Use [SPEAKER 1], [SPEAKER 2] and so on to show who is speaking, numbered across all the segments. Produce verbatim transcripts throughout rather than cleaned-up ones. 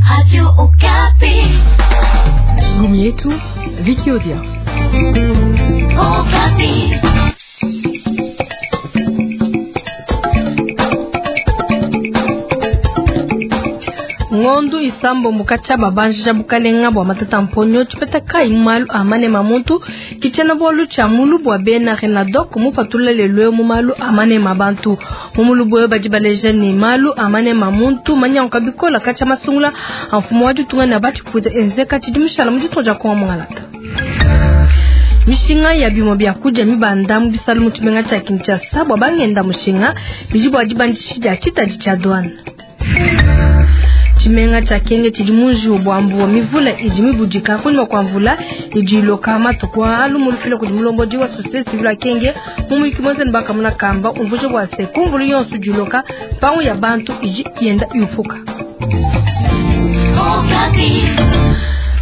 [SPEAKER 1] Radio Okapi.
[SPEAKER 2] Gumi yetu Viki Odia.
[SPEAKER 1] Okapi.
[SPEAKER 3] Ngondu isambo mukacha babanjija bukalenga bwa matata mponyo tshipeta kai malu amane mamuntu kichena bolu cha mulu bwa bena renadok mupatula lelwe mu malu amane mabantu mumulu bwe badi baleja ni malu amane mamuntu manyanka bikola kacha masungula amfumo wa ditunga na bati puta enzeka tshidimushala mu ditunga dia Kongo mungalata. Mishinga ya bimo bya kuja mibanda mu bisalu mu tshimenga tshia Kinshasa bwa bangenda mushinga bidi bwa dibandishi dia tshitadi tshia douane. Tshimenga tshia Kenge tshidi munji bwa mbuwa mivula idi mibudika kunyuma kwa mvula idi iloka matuku alu mulufila kudi mulombodi wa société civile ya Kenge mu muyiki mwenzeni bakamuna kamba umvuje bwa se kumvulu yonso idi iloka mpangu ya bantu idi yenda yupuka.
[SPEAKER 1] Okapi.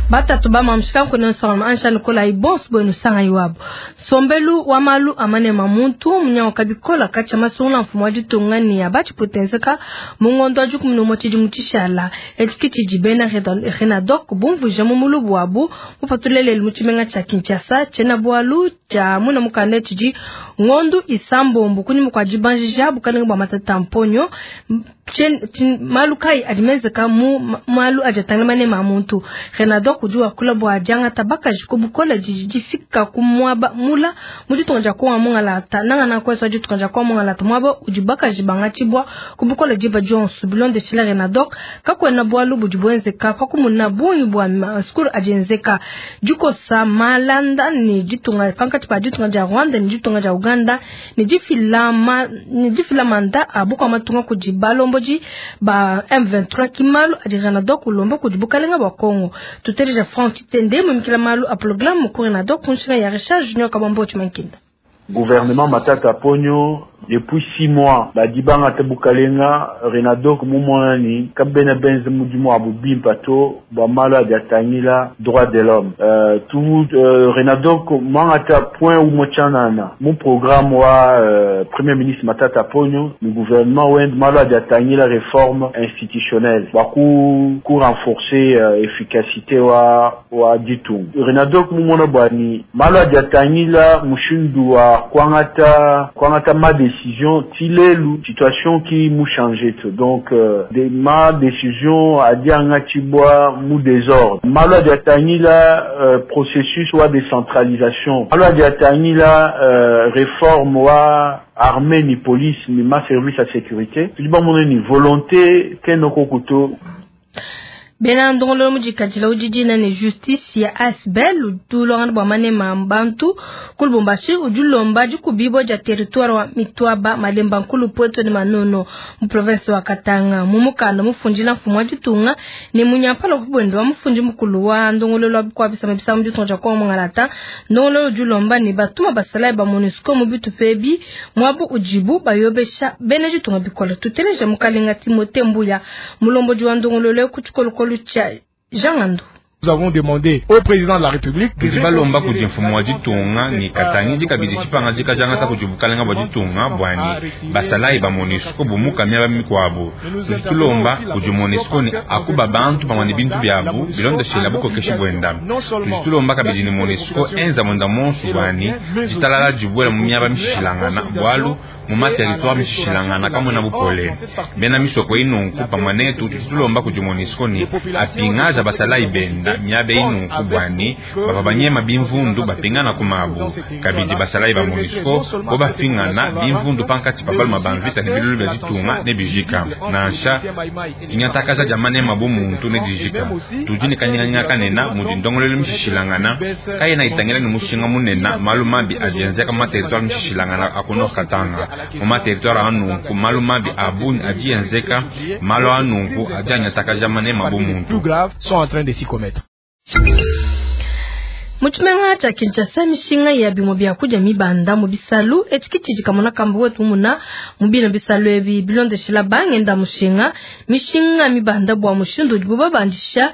[SPEAKER 3] Batatu bamamshika nkone nsonga ansha nikola ibonso bwenu sanga iwabo sombelu wa malu amane mamuntu munyango kabikola kacha masungula mfumo wa ditunga ni ya bachiputenzeka mungondo wa dikumi n'umwe tshidi mu tshishala etshi tshidi bena renadok bumvuja mu mulubu wabu mupatulelelu mu tshimenga tshia Kinshasa tshiena bwalu tshia muna mukanda tshidi ngondu isambombo kunyuma kua dibanjija bukalenga bua matata mponyo malu kai adi menzeka mu malu adi atangila manema a muntu renadok udi wakula bua diangata bakaji ku bukola didi difika ku muaba mula mu ditunga dia Kongo mungalata nangana kwesa ditunga dia Kongo mungalata muaba udi bakaji bangatshibua ku bukola diba dionso bilondeshila renadok kakuena bualu budi buenzeka pakumuna bungi bua masukulu adi enzeka dikosa malanda ni ditunga pankatshi pa ditunga dia Rwanda ni ditunga dia Uganda ni difila ma ni difila manda a bukua matunga kudi balombodi ba M vingt-trois kimalu adi renadok ulomba kudi bukalenga bua Kongo tuteleja Franck Titende mumikila malu a programme ku renadok kunshinga ya Richard Junior Kabambo Tshimankinda.
[SPEAKER 4] Gouvernement Matata Ponyo depuis six mois badibanga te bukalenga renadok mumonani kabena benze mudimu abu bimpa to bua malu adi atangila droit de l'homme euh, tout euh, renadok mangata point umwe tshianana mu programme wa euh, premier ministre Matata Ponyo mu gouvernement wende malu adi atangila réforme institutionnelle bua ku, ku renforcer euh, efficacité wa wa ditunga renadok mumona bwani malu adi atangila mushindu wa kwangata kwangata ma décision tilelu situation qui mou changé donc euh, de ma décision adianga tibwa mou désordre malo adiatangila euh, processus wa décentralisation malo adiatangila euh, réforme wa armée ni police ni ma service à sécurité tudiba moneni volonté kenoko kuto
[SPEAKER 3] bena ndongolo mudikadila udidina ne justice ya asbel udulongana bua manema bantu ku Lubumbashi udilomba dikubibwa dia territoire wa Mitwaba Malemba Nkulu Pweto ne Manono mu province wa Katanga mu mukanda mufundila mfumu wa ditunga ne munyampala kubwendo wa mufundi mukulu wa ndongololo wa bikua bisama bisama mu ditunga dia Kongo mungalata ndongololo udilomba ne batuma basalayi ba MONUSCO mu bitupa ebi muabu udibu bayobesha bena ditunga bikola tuteleja mukalenga Timothée Mbuya mulombodi wa ndongololo ku tshikolokolo Jean Ngando.
[SPEAKER 5] Nous avons demandé au président de la République
[SPEAKER 6] tudi balomba kudi mfumu wa ditunga ni katangidi kabidi tshipangadika diangata kudi bukalenga bua ditunga bwani basalayi ba MONUSCO bumuka miaba mikuabu tudi tulomba kudi MONUSCO ni akuba bantu pamue ne bintu biabu bilondeshela bukokeshi buenda tudi tulomba kabidi ni MONUSCO enza mwenda monso bwani ditalala dibuela mu miaba mishishilangana bualu mu materitoire mishishilangana kamwena bupole bena misoko inunku pamue netu tudi tulomba kudi MONUSCO ni apingaza basalayi benda miabe inunku bwani bava banyema bimvundu bapingana kumabu kabidi basalayi ba MONUSCO bo bafingana bimvundu pankatshi pa baluma ba mvita ne bilulu bia ditunga ne bijika nansha dingatakaja dia manema bu muntu ne dijika tudi ne kanyinganyinga kanena mudi ndongolelo mishishilangana kayena itangila ne mushinga munena malu mabi adi enzeka mu materitoire mishishilangana a ku Nord Katanga mu materitoire anunku malu mabi a bungi adi enzeka malu anunku adi anyatakaja manema bu muntu
[SPEAKER 5] sont en train de s'y commettre.
[SPEAKER 3] Mu tshimenga tshia Kinshasa mishinga ya bimue bia kudia mibanda mu bisalu etshi tshidi kamona kamba wetu muna mu bina bisalu ebi bilondeshela bangenda mushinga mishinga mibanda bua mushindu udibu babandisha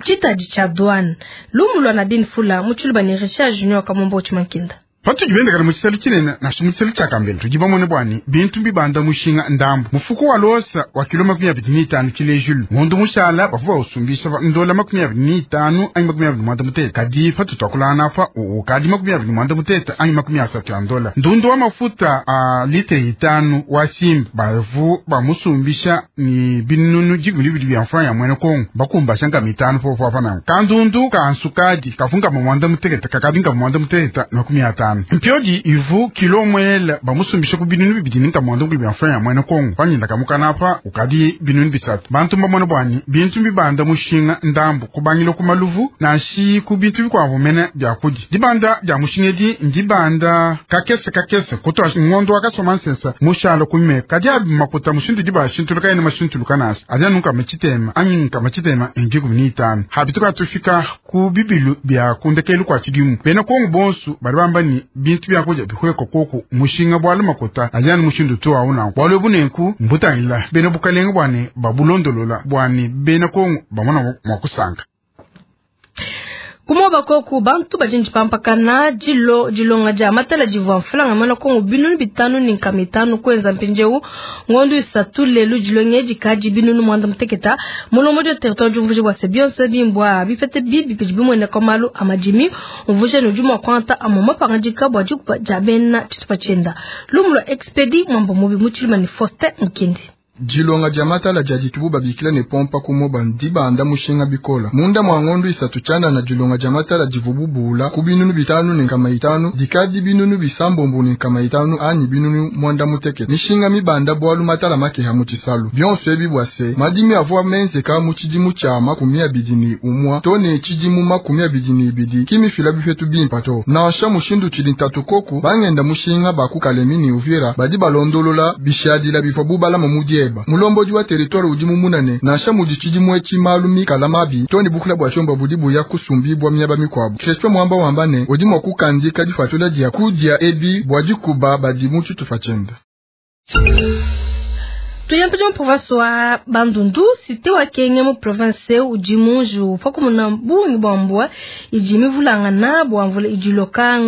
[SPEAKER 3] tshitadi tshia douane lumu lua Nadine Fula mu tshiluba ne Richard Junior Kamombo Tshimankinda.
[SPEAKER 7] Patudi bendekana mu tshisalu tshinene nansha mu tshisalu tshia kambela tudi bamone bwani bintu mbibanda mushinga ndambu mufuko wa losa wa kilo makumi abidi ni itanu tshilejulu ngondo mushala bavua bausumbisha ndola makumi abidi ni itanu anyi makumi abidi mwanda mutete kadi patutuakulana apa ukadi makumi abidi mwanda mutete anyi makumi asatu ya ndola ndundu wa mafuta a litre itanu wa simba bavu bamusumbisha ni binunu dikumi bibidi bya mfranga ya mwene Kongo bakumbasha nkama itanu popo apa nangu kandundu ka nsukadi kavunkama mwanda mutekete kakadi nkama mwanda mutekete makumi atanu mpiodi ivu kilo mwela bamusumbisha ku binunu bibidi ninka mwanda mukulu bya mfranga ya mwene Kongo panyinda kamukana apa ukadi binunu bisatu bantu mbamona bwani bintu mbibanda mushinga ndambu kubangila ku maluvu nanshi ku bintu bikwavu mene bya kudi dibanda dya mushinga edi ndibanda kakese kakese kutwa ngondo wakasoma nsensa mushala kume kadi abi makuta mushindu diba shintuluka ene mashintuluka nasi adi anunka machitema anyi nka machitema endikumi ni itanu habituka tufika ku bibilu bya kundekelu kwa tshidimu bena Kongo bonsu bali bamba ni bintu bya kuja bihweko koku mushinga bwalo makuta adi anu mushindu tu auna bwalo bunenku mbutangila bena bukalenga bwane babulondolola bwane bena Kongo bamona mwakusanga
[SPEAKER 3] Kumoba koku bantu bajinji pampakana dilo dilonga dia matala divua mfulanga mana Kongo binunu bitanu ni nkama itanu kwenza mpinjeu ngondu isatu lelu dilonga dikadi binunu mwanda muteketa mulombo dia territoire diumvuja bua se bionso bimbwa bipete bibi bidi bimueneka malu amadimi umvuja ne udi mua kuanta amue mapangadika bua dikuba dia bena tshitupa tshienda lumu lua Expedi mwamba mubi mu tshilima ne Faustin Mukindi.
[SPEAKER 8] Dilonga dia matala dia ditubu babikila ne pompa kumoba ndibanda mushinga bikola munda mwa ngondu isatu tshianda na dilonga dia matala divububula ku binunu bitanu ne nkama itanu dikadi binunu bisambombo ne nkama itanu anyi binunu mwanda muteke mishinga mibanda bwalu matala makeha mu tshisalu bionso ebi bua se madimi avua menzeka mu tshidimu tshia makumi abidi ne umwa to ne tshidimu makumi abidi ne ibidi kimifila bifetu bimpa to nansha mushindu tshidi ntatu koku bangenda mushinga bakukalemi ne Uvira badi balondolola bishadila bivua bubalama mu dieba mulombodi wa territoire udi mumunane nansha mudi tshidimu etshi malu mikala mabi to ne bukula bua tshiomba budi buya kusumbibwa miaba mikuabu Crispin Mwamba wamba ne udi mua kukandika difatula dia kudia ebi bua dikuba badi mu tshitupa tshienda.
[SPEAKER 3] Tuyampeja mu province wa Bandundu cité wa Kenge mu province udi munju pakumuna bungi bwa mbwa idi mivulangana bwa mvula idi loka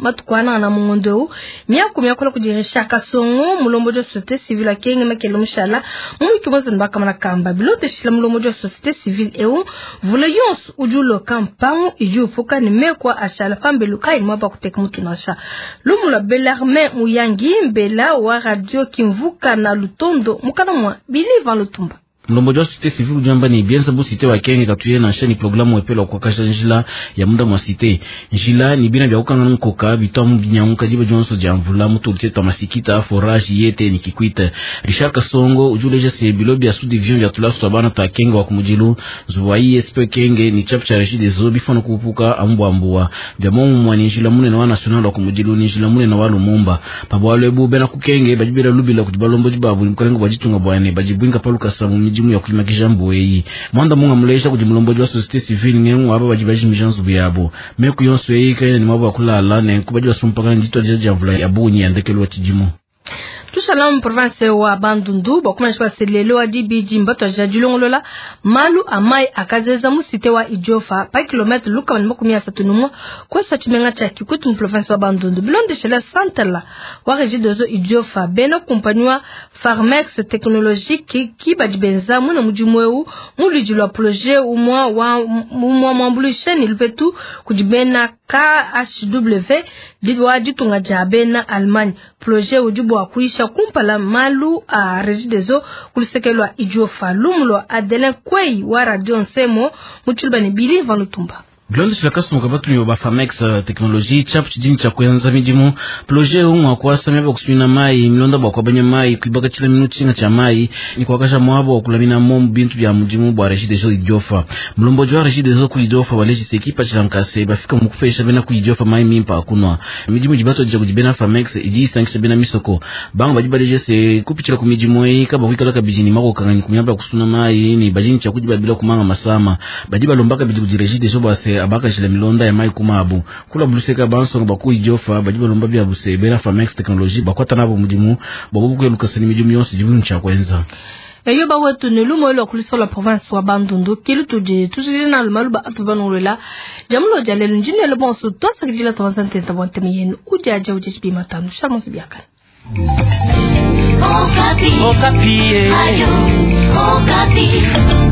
[SPEAKER 3] matukwana na mungondo miaku miakola kudirisha Kasongo mulombo wa société civile Kenge makele mushala mu kimoza nbakamana kamba bilote shila mulombo wa société civile eu vula yonso udi uloka mpangu idi upuka ne mekwa ashala pambelu kai mwaba kuteka mutunasha lumula Belarme Muyangi mbela wa radio Kimvuka na Lutondo mukana mwa Biliva Lutumba.
[SPEAKER 9] Mlomboji wa société civile ujamba ni bienza bu cité wa Kenge katuye na shani programu wepelo kwa kasha njila ya muda mwa cité njila ni bina bya kukanga nkoka bitwa binyanguka jiba jonso jamvula mutu twa masikita forage yete ni Kikwita. Richard Kasongo ujuleja se bilo bya sous division ya tulasu bana ta Kenge wa kumujilu zuwa I S P Kenge ni chapu cha Régis des Eaux bifano kupuka ambwa ambwa bya momu mwa njila mune na wa national wa kumujilu ni njila mune na wa Lumumba pabwalo ebu bena kukenge bajibira lubila kutibalombo jibabu mkalengo bajitunga bwane bajibwinga paluka samu mijimu ya kulimakisha mbueyi mwanda munga mulesha kuti mulomboji wa société civile ngengu aba bajibaji mijanzu byabo meku yonso eyi kaina ni mwabo akulala ne kubaji basumpakana njitwa jaja mvula ya bunyi yandekelu wa chijimu.
[SPEAKER 3] Tushala mu province wa Bandundu bakumanyisha baselelo wa dibidi mbato ja dilongolola malu amai akazeza mu cité wa Idiofa pa kilometre luka ni makumi asatu numwa kwesa tshimenga tsha Kikwit mu province wa Bandundu bilondeshela santela wa Régie des Eaux Idiofa bena kumpanywa Farmex technologique ki badi benza muna mudimu eu muludi lwa projet umwa wa umwa mwambuluisha ni lupetu kudi bena K H W wa ditunga dia bena Allemagne projet udi bua kuisha kumpala malu a Régie des Eaux kulusekelwa Idiofa lumulwa Adelin Kwei wa Radio Nsemo mutshilubane Bili Van Lutumba.
[SPEAKER 9] Bilondeshela kasumbuka batumi ba Famex technologie chapu chidini cha kuenza midimu projet umwa kwasa myaba kusumina mai milonda bwa kwabanya mai kuibaka chila minu chinga cha mai ni kwakasha mwabo wa kulamina momu bintu bya mudimu bwa Régie des Eaux Idiofa mulomboji wa Régie des Eaux ku Idiofa waleji sekipa chilankase bafika mukufesha bena ku Idiofa mai mimpa akunwa midimu jibato jija kujibena Famex idi isankisha bena misoko banga baji baleje se kupichila ku midimu eyi kaba kuikala kabijini mako kangani kumyaba kusuna mai ni bajini cha kujibabila kumanga masama badi balombaka bidi ku Régie des Eaux base abaka jila milonda ya mai kumabu kula buluseka bansonga baku Idiofa badi balomba bya buse bena Famex technologie bakwata nabo mudimu babubu kweluka seni midimu yonse jibu ncha kwenza.
[SPEAKER 3] Eyo bawetu ne lumo lwa kulisola province wa Bandundu kilu tudi tujina lumaluba atubanulela jamulo jalelu njinelo bonso twasakidila twansantenta bwanteme yenu ujaja ujeshi matano shamonso biakana.
[SPEAKER 1] Okapi. Okapi. Ayo, Okapi.